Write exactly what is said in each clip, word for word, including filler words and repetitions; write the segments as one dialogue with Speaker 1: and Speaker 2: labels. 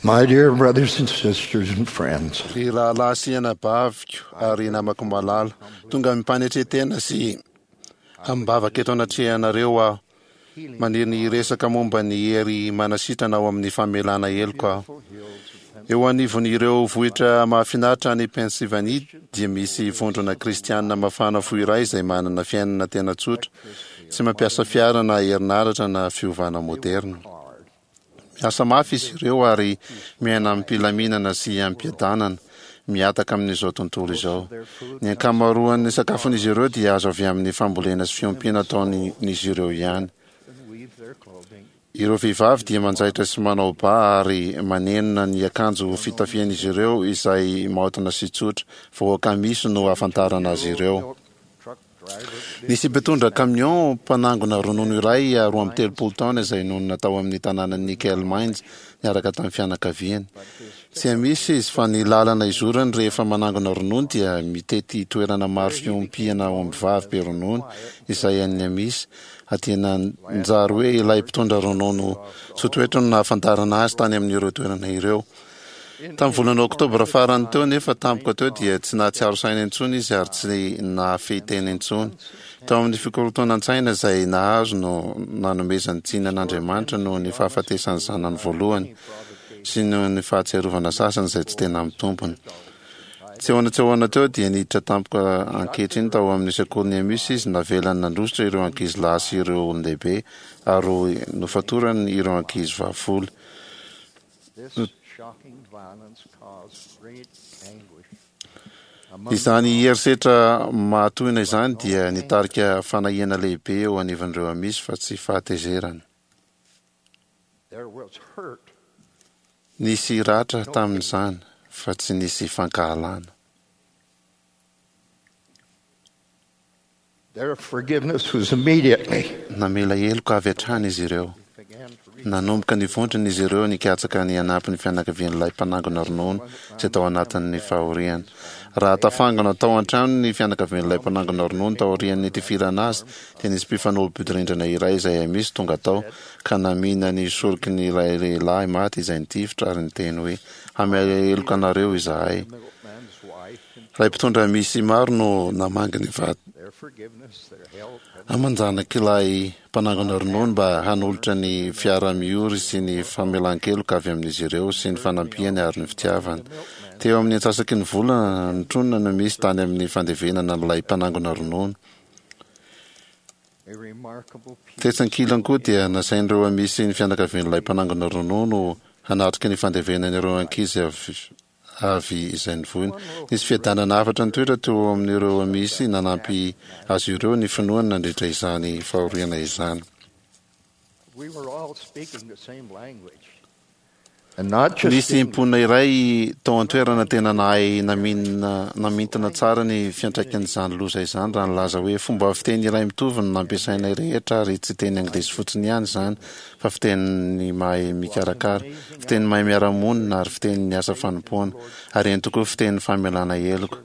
Speaker 1: My dear brothers and sisters and friends,
Speaker 2: Ry rahalahy sy anabaviko ary namako malala, tonga amim-panetren-tena sy amim-bavaka eto anatrehanareo aho. Maniry ny hiresaka momba ny hery manasitrana ao amin'ny famelana heloka aho. Eo anivon'ireo vohitra mahafinaritra any Pennsylvanie dia misy vondrona kristianina mafana fo iray izay manana fiainana tena tsotra, tsy mampiasa fiara na herinaratra na fiovana moderna. Miasa mafy izy ireo ary miaina amim-pilaminana sy amim-piadanana, mihataka amin'izao tontolo izao. Ny ankamaroan'ny sakafon'izy ireo dia azo avy amin'ny fambolena sy fiompiana ataon'izy ireo ihany. Ireo vehivavy dia manjaitra sy manao ba ary manenona ny akanjo fitafian'izy ireo izay maotina sy tsotra. Vahoaka misy no ahafantarana azy ireo. Nisy mpitondra camion mpanangona ronono iray roa amby telopolo taona izay nonina tao amin'ny tanànan'i Nickel Mines niaraka tamin'ny fianakaviany. Tsy Amish izy fa ny lalana izorany rehefa manangona ronono dia mitety toerana maro fiompiana ombivavy be ronono izay an'ny Amish. Dia nanjary hoe ilay mpitondra ronono tso-toetra no nahafantarana azy tany amin'ireo toerana ireo. Tamin'ny volana oktobra farany teo anefa tampoka teo dia tsy nahatsiaro saina intsony izy ary tsy nahafehy tena intsony. Tao amin'ny fikorontanan-tsaina izay nahazo no nanomezany tsiny an'Andriamanitra noho ny fahafatesan'ny zanany voalohany sy noho ny fahatsiarovana sasany izay tsy tena mitombina. Tsy ahoana tsy ahoana teo dia niditra tampoka ankehitriny tao amin'ny sekolin'ny Amish izy, navelany nandositra ireo ankizilahy sy ireo olon-dehibe ary nofatorany ireo ankizivavy folo. Izany herisetra mahatohina izany dia nitarika fanahiana lehibe eo anivon'ireo Amish fa tsy fahatezerana. Nisy ratra tamin'izany fa tsy nisy fankahalana.
Speaker 1: Their forgiveness was immediately.
Speaker 2: Namela heloka avy hatrany izy ireo. Nanomboka nivondrona izy ireo nikatsaka ny hanampy ny fianakavian'ilay mpanangona ronono izay tao anatin'ny fahoriana. Raha tafangona tao an-trano ny fianakavian'ilay mpanangona ronono taorian'ny nitifirana azy, dia nisy mpifanolo-bodirindrina iray izay Amish tonga tao ka namihina ny soroky ny ilay lehilahy maty izay nitifitra ary niteny hoe, Hamela heloka anareo izahay. Ray mpitondra misy maro no namangy ny vady aman-janak'ilay mpanangona ronono mba hanolotra ny fiara-miory sy ny famelan-keloka avy amin'izy ireo sy ny fanampiany ary ny fitiavany. Teo amin'ny antsasaky ny volana notronina no misy tany amin'ny fandevenana an'ilay mpanangona ronono. Tetsy ankilany koa dia nasain'ireo Amisy ny fianakavian'ilay mpanangona ronono hanatrika ny fandevenana ireo ankizy avy avy izay nivoina. Nisy fiadanana hafatra nitoetra teo amin'ireo Amisy nanampy azy ireo ny finoany nandritra izany fahoriana izany. Nisy mponina iray tao an-toerana tena nahay naminina namintina tsara ny fiantraikan'izany loza izany raha nilaza hoe fomba fiteny iray mitovy no nampiasainay rehetra ary tsy teny anglisy fotsiny ihany izany fa fitenin'ny mahay mikarakara, fitenin'ny mahay miara-monina ary fitenin'ny asa fanompoana, ary eny tokoa fitenin'ny famelana heloka.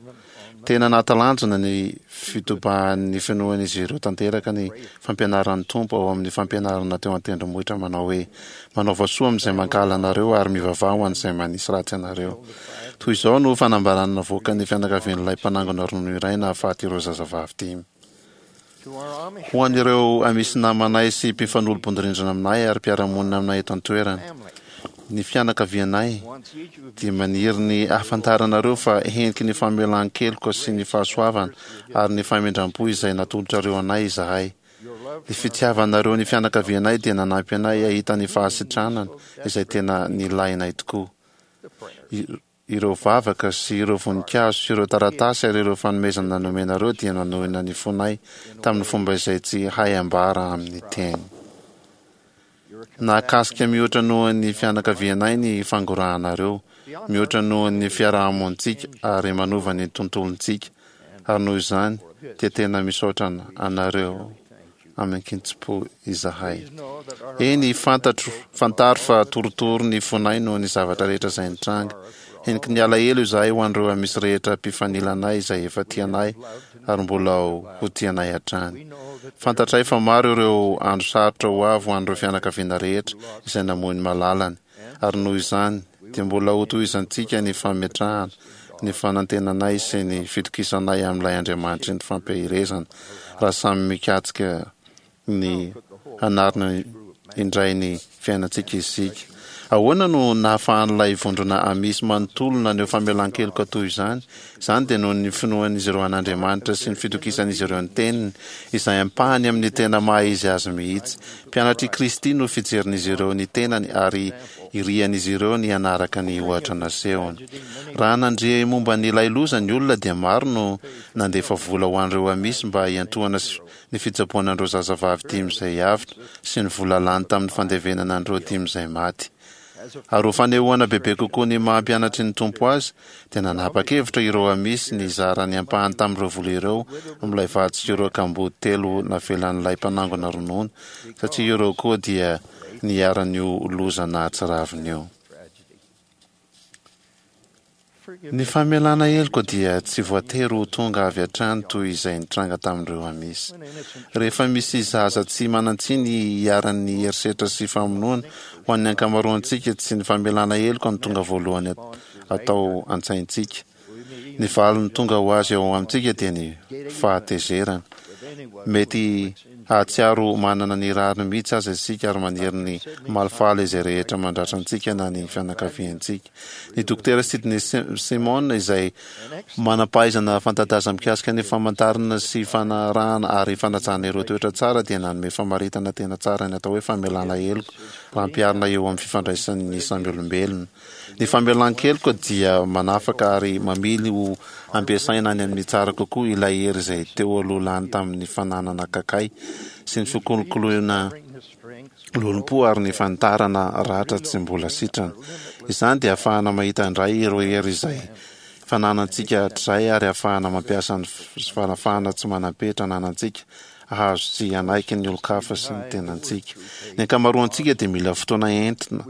Speaker 2: Tena nahatalanjona ny fitobahan'ny finoan'izy ireo tanteraka ny fampianaran'ny Tompo ao amin'ny fampianarana teo an-tendrombohitra manao hoe, Manaova soa amin'izay mankahala anareo ary mivavaha ho an'izay manisy ratsy anareo. Toy izao no fanambarana navoakan'ny fianakavian'ilay mpanangona ronono iray nahafaty ireo zazavavy dimy. Ho an'ireo Amisy namanay sy mpifanolo-bodirindrina aminay ary mpiara-monina aminay eto an-toerana, ny fianakavianay dia maniry ny hahafantaranareo fa heniky ny famelan-keloka sy ny fahasoavana ary ny famindram-po izay natolotrareo anay izahay. Ny fitiavanareo ny fianakavianay dia nanampy anay hahita ny fahasitranana izay tena nilainay tokoa. Ireo vavaka sy ireo voninkazo sy ireo taratasy ary ireo fanomezana nomenareo dia nanohina ny fonay tamin'ny fomba izay tsy hay ambara amin'ny teny. Nahakasika mihoatra noho ny fianakavianay ny fangorahanareo, mihoatra noho ny fiaraha-monintsika ary manova ny tontolontsika, ary noho izany dia tena misaotra anareo amin-kitsim-po izahay. Eny, fantatro, fantaro fa torotoro ny fonay noho ny zavatra rehetra izay nitranga. Heniky ny alahelo izahay ho an'ireo Amisy rehetra mpifanila anay izay efa tia anay ary mbola ho tia anay hatrany. Fantatray fa maro ireo andro sarotra ho avy ho an'ireo fianakaviana rehetra izay namoy ny malalany, ary noho izany dia mbola hotohizantsika ny fametrahana ny fanantenanay sy ny fitokisanay amin'ilay Andriamanitry ny fampaherezana raha samy mikatsaka ny hanarina indray ny fiainantsika isika. Ahoana no nahafahan'ilay vondrona Amish manontolo naneho famelan-keloka toy izany? Izany dia noho ny finoan'izy ireo an'Andriamanitra sy ny fitokisan'izy ireo ny Teniny, izay ampahany amin'ny tena maha-izy azy mihitsy. Mpianatr'i Kristy no fijerin'izy ireo ny tenany ary irian'izy ireo ny hanaraka ny ohatra nasehony. Raha nandre momba an'ilay loza ny olona dia maro no nandefa vola ho an'ireo Amish mba hiantohana ny fitsaboana an'ireo zazavavy dimy izay avotra sy ny vola lany tamin'ny fandevenana an'ireo dimy izay maty. Ary ho fanehoana bebe kokoa ny maha mpianatry ny Tompo azy, dia nanapa-kevitra ireo Amish ny hizara ny ampahany tamin'ireo vola ireo amin'ilay vady sy ireo kamboty telo navelan'ilay mpanangona ronono, satria ireo koa dia niharan'io loza nahatsiravina io. Ny famelana heloka dia tsy voatery ho tonga avy hatrany toy izay nitranga tamin'ireo Amish. Rehefa misy zaza tsy manan-tsiny iharan'ny herisetra sy famonoana, ho an'ny ankamaroantsika tsy ny famelana heloka no tonga voalohany atao an-tsaintsika. Ny valiny tonga ho azy ao amintsika dia ny fahatezerana. Mety hahatsiaro manana ny rariny mihitsy aza isika ary maniry ny hamalifaly izay rehetra mandratra antsika na ny fianakaviantsika. Ny Dokotera Sidney Simon, izay manam-pahaizana fanta-daza mikasika ny famantarana sy fanarahana ary fanajana ireo toetra tsara, dia nanome famaritana tena tsara ny atao hoe famelana heloka raha ampiharina eo amin'ny fifandraisan'ny samy olombelona. Ny famelan-keloka dia manafaka ary mamily ho ampiasaina any amin'ny tsara kokoa ilay hery izay teo aloha lany tamin'ny fananana kakay sy ny fikolokoloina lolompo ary ny fanitarana ratra tsy mbola sitrana. Izany dia ahafahana mahita indray ireo hery izay fananantsika hatrizay ary ahafahana mampiasa ny fanafahana tsy manam-petra ananantsika hahazo sy hanaiky ny olon-kafa sy ny tenantsika. Ny ankamaroantsika dia mila fotoana entina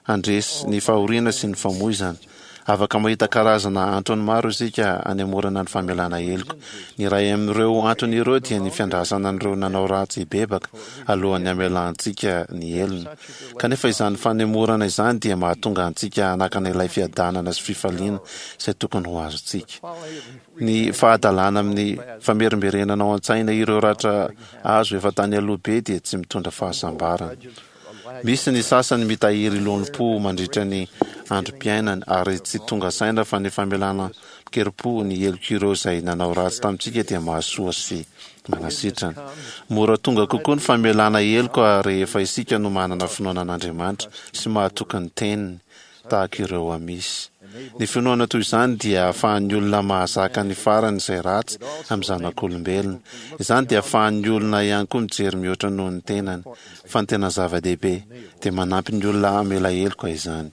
Speaker 2: handresy ny fahoriana sy ny famoizana. Afaka mahita karazana antony maro isika hanemorana ny famelana heloka. Ny iray amin'ireo antony ireo dia ny fiandrasana an'ireo nanao ratsy hibebaka alohan'ny hamelantsika ny helony. Kanefa izany fanemorana izany dia mahatonga antsika hanakana ilay fiadanana sy fifaliana izay tokony ho azontsika. Ny fahadalana amin'ny famerimberenana ao an-tsaina ireo ratra azo efa tany aloha be dia tsy mitondra fahasambarana. Misy ny sasany mitahiry lolompo mandritra ny androm-piainany ary tsy tonga saina fa ny famelana amin-kerim-po ny helok'ireo izay nanao ratsy tamintsika dia mahasoa sy manasitrana. Mora tonga kokoa ny famelana heloka rehefa isika no manana finoana an'Andriamanitra sy mahatoky ny Teniny. tahaka ireo Amish. Ny finoana toy izany dia ahafahan'ny olona mahazaka ny farany izay ratsy amin'ny zanak'olombelona. Izany dia ahafahan'ny olona ihany koa mijery mihoatra noho ny tenany. Fa ny tena zava-dehibe, dia manampy ny olona hamela heloka izany.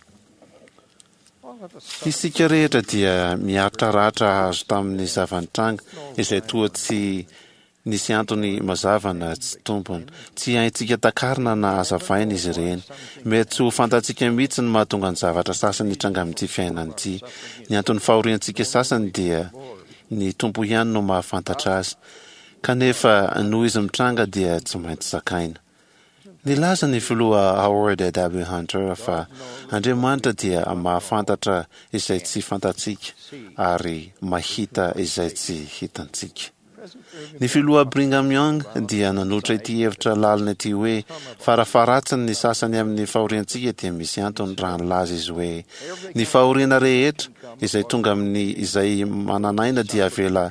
Speaker 2: Isika rehetra dia miaritra ratra azo tamin'ny zava-nitranga izay toa tsy Nisy antony mazava na tsy tompony. Tsy haintsika takarina na hazavaina izy ireny. Mety tsy ho fantatsika mihitsy ny mahatonga ny zavatra sasany hitranga amin'ity fiainana ity. Ny anton'ny fahoriantsika sasany dia ny Tompo ihany no mahafantatra azy. Kanefa noho izy mitranga dia tsy maintsy zakaina. Nilaza ny Filoha Howard W. Hunter fa Andriamanitra dia mahafantatra izay tsy fantatsika ary mahita izay tsy hitantsika. Ny Filoha Brigham Young dia nanolotra ity hevitra lalina ity hoe, Farafaharatsiny ny sasany amin'ny fahoriantsika dia misy antony raha nilaza izy hoe, Ny fahoriana rehetra izay tonga amin'ny izay manan'aina dia avela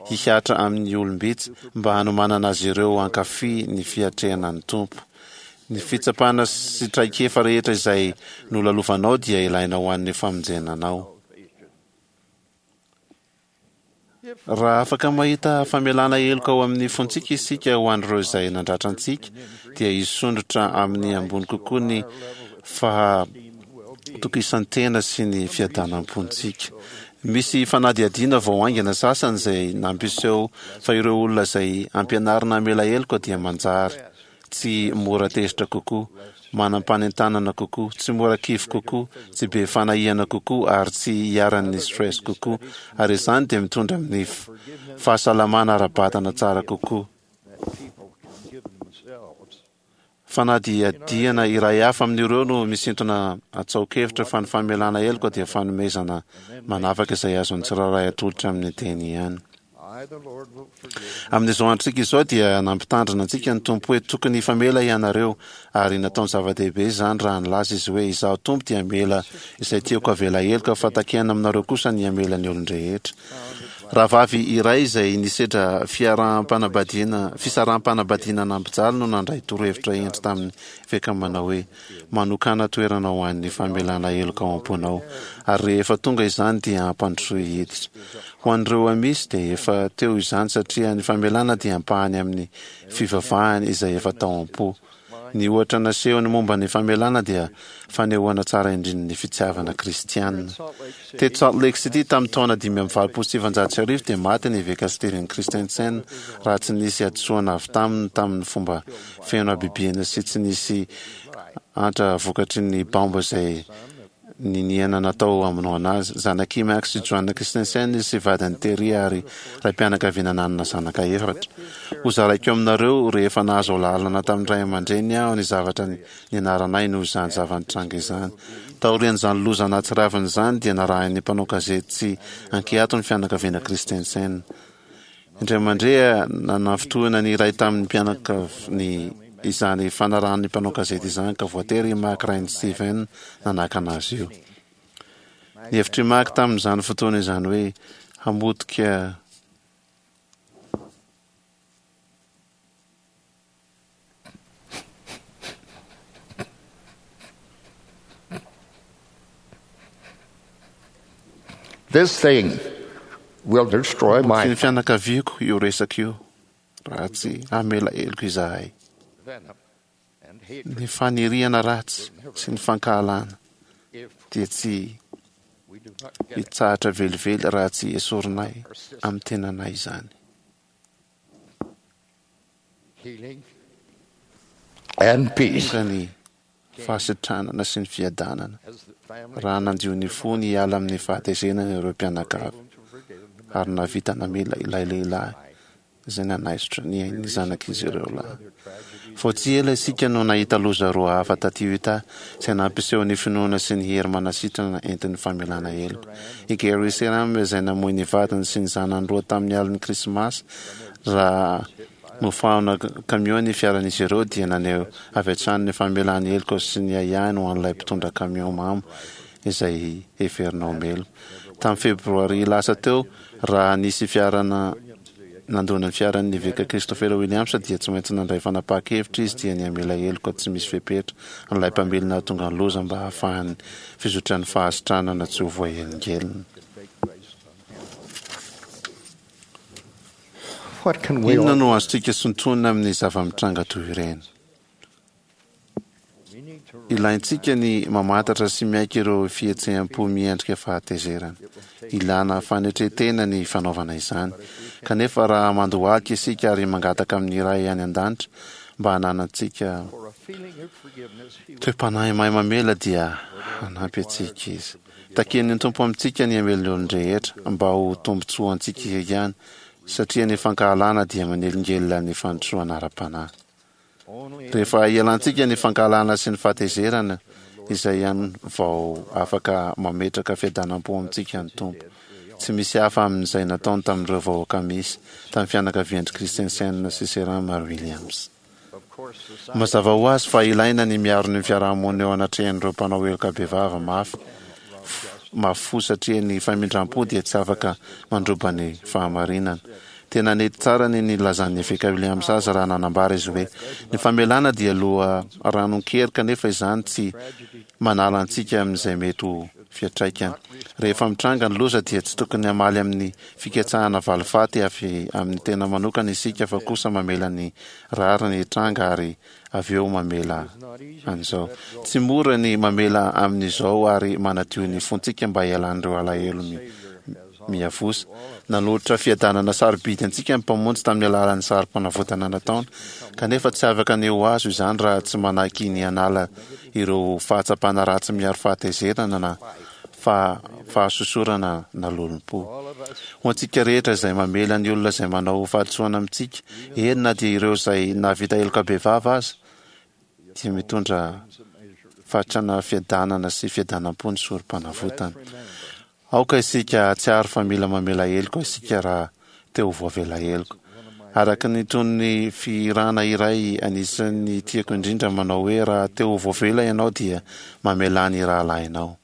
Speaker 2: hihatra amin'ny olom-bitsy mba hanomanana azy ireo hankafy ny fiatrehana ny Tompo. Ny fitsapana sy traikefa rehetra izay nolalovanao dia ilaina ho an'ny famonjena anao. Raha afaka mahita famelana heloka ao amin'ny fontsika isika ho an'ireo izay nandratra antsika, dia hisondrotra amin'ny ambony kokoa ny fahatokisan-tena sy ny fiadanam-pontsika. Misy fanadihadiana vao haingana sasany izay nampiseho fa ireo olona izay ampianarina hamela heloka dia manjary tsy mora tezitra kokoa, manam-panentanana kokoa, tsy mora kivy kokoa, tsy be fanahiana kokoa ary tsy iharan'ny stress kokoa, ary izany dia mitondra amin'ny fahasalamana ara-batana tsara kokoa. Fanadihadiana iray hafa amin'ireo no misintona atsaokevitra fa ny famelana heloka dia fanomezana manavaka izay azon'ny tsirairay atolotra amin'ny teny ihany. Amin'izao androntsika izao dia nampitandrina antsika ny Tompo hoe tokony hifamela ianareo, ary nataony zava-dehibe izany raha nilaza Izy hoe, Izaho Tompo dia hamela izay tiako havela heloka, fa takiana aminareo kosa ny hamela ny olon-drehetra. Rahavavy iray izay nisedra fiaraham-panambadiana fisaraham-panambadiana nampijaly no nandray torohevitra hendry tamin'ny eveka manao hoe, Manokàna toerana ho an'ny famelana heloka ao am-ponao, ary rehefa tonga izany dia ampandrosoy hiditra. Ho an'ireo Amish dia efa teo izany satria ny famelana dia ampahany amin'ny fivavahany izay efa tao am-po. Ny ohatra nasehony momba ny famelana dia fanehoana tsara indrindra ny fitiavana kristiana. Teto Salt Lake City tamin'ny taona dimy amby valopolo sy sivinjato sy arivo dia maty ny eveka Steven Christensen raha tsy nisy hadisoana avy taminy tamin'ny fomba feno habibiana sy tsy nisy antra vokatry ny baomba izay niniana natao hamonoana azy. Zanak'i Max sy Joanna Christensen izy sy vadiny Terry ary raim-pianakaviana nanana zanaka efatra. Hozaraiko aminareo rehefa nahazo alalana tamin'ny ray aman-dreniny aho ny zavatra nianaranay noho izany zava-nitranga izany. Taorian'izany loza nahatsiravina izany dia narahin'ny mpanao gazety tsy ankiato ny fianakaviana Christensen. Indray mandeha, nanafintohina ny iray tamin'ny mpianakaviny izany fanarahan'ny mpanao gazety izany ka voatery i Mac rain'i Steven nanakana azy io. Ny hevitr'i Mac tamin'izany fotoana izany hoe hamotika
Speaker 1: This thing will destroy my
Speaker 2: Sy ny fianakaviako io resaka io raha tsy hamela heloka izahay. Ny faniriana ratsy sy ny fankahalana dia tsy hitsahatra velively raha tsy esorinay amin'ny tenanay izany. Tonga ny fahasitranana sy ny fiadanana raha nandio ny fony hiala amin'ny fahatezerana ireo mpianakavy ary nahavita namela ilay lehilahy izay nanaisotra ny ain'ny zanak'izy ireo lahy. Vao tsy ela isika no nahita loza roa hafa taty Utah izay nampiseho ny finoana sy ny hery manasitrana entin'ny famelana heloka. I Gary Seram izay namoy ny vadiny sy ny zanany roa tamin'ny alin'ny Krismasy raha nofahana kamiao ny fiaran'izy ireo dia naneho avy hatrany ny famelany heloka sy ny ahiahiny ho an'ilay mpitondra kamiao mamo izay heverina ho meloka. Tamin'ny Febroary lasa teo, raha nisy fiara nandona ny fiaran'ny Eveka Christopher Williams dia tsy maintsy nandray fanapahan-kevitra izy dia ny hamela heloka tsy misy fepetra an'ilay mpamily nahatonga ny loza mba hahafahan'ny fizotran'ny fahasitranana tsy ho voahelingelina. Inona no azontsika sintonina amin'ny zava-mitranga toy ireny? Ilaintsika ny mamantatra sy miaiky ireo fihetseham-po miendrika fahatezerana. Ilana fanetren-tena ny fanaovana izany. Kanefa raha mandohalika isika ary mangataka amin'ny Ray any An-danitra mba hananantsika toe-panahy mahay mamela dia hanampy antsika Izy. Takian'ny Tompo amintsika ny hamela ny olon-drehetra mba ho tombontsoantsika ihany, satria ny fankahalana dia manelingelina ny fandrosoana ara-panahy. Rehefa ialantsika ny fankahalana sy ny fahatezerana, izay ihany vao afaka mametraka fiadanam-po amintsika ny Tompo. Tsy misy hafa amin'izay nataony tamin'ireo vahoaka misy, tamin'ny fianakavian-dry Christensen sy Seram ary Williams. Mazava ho azy fa ilaina ny miaro ny fiarahamonina eo anatrehan'ireo mpanao heloka bevava mafy mafy fo satria ny famindram-po dia tsy afaka mandroba ny fahamarinana. Tena nety tsara ny nilazan'ny Eveka Williams azy raha nanambara izy hoe, Ny famelana dia loharanon-kery kanefa izany tsy manala antsika amin'izay mety ho fiantraikany. Rehefa mitranga ny loza dia tsy tokony hamaly amin'ny fikatsahana valifaty avy amin'ny tena manokana isika fa kosa mamela ny rariny hitranga ary avy eo mamela an'izao. Tsy mora ny mamela amin'izao ary manadio ny fontsika mba hialan'ireo alahelo miavosa. Nanolotra fiadanana sarobidy antsika ny Mpamonjy tamin'ny alalan'ny sarim-panavotana nataony, kanefa tsy afaka ny ho azo izany raha tsy manaiky ny hanala ireo fahatsapana ratsy miharo fahatezerana na fahasosorana na lolompo. Ho antsika rehetra izay mamela ny olona izay manao fahadisoana amintsika, eny na dia ireo izay nahavita heloka bevava aza, dia mitondra fatrana fiadanana sy fiadanam-po ny sorom-panavotana. Aoka isika hahatsiaro fa mila mamela heloka isika raha te ho voavela heloka. Araka ny tonon'ny fihirana iray anisan'ny tiako indrindra manao hoe raha te ho voavela ianao dia mamelà ny rahalahinao.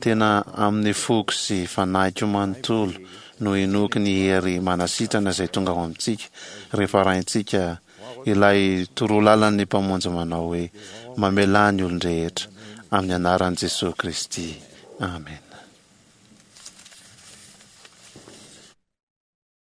Speaker 2: Tena amin'ny foko sy fanahiko manontolo no inoako ny hery manasitrana izay tonga ao amintsika rehefa arahintsika ilay torolalan'ny Mpamonjy manao hoe mamelà ny olon-drehetra amin'ny anaran'i Jesoa Kristy. Amena.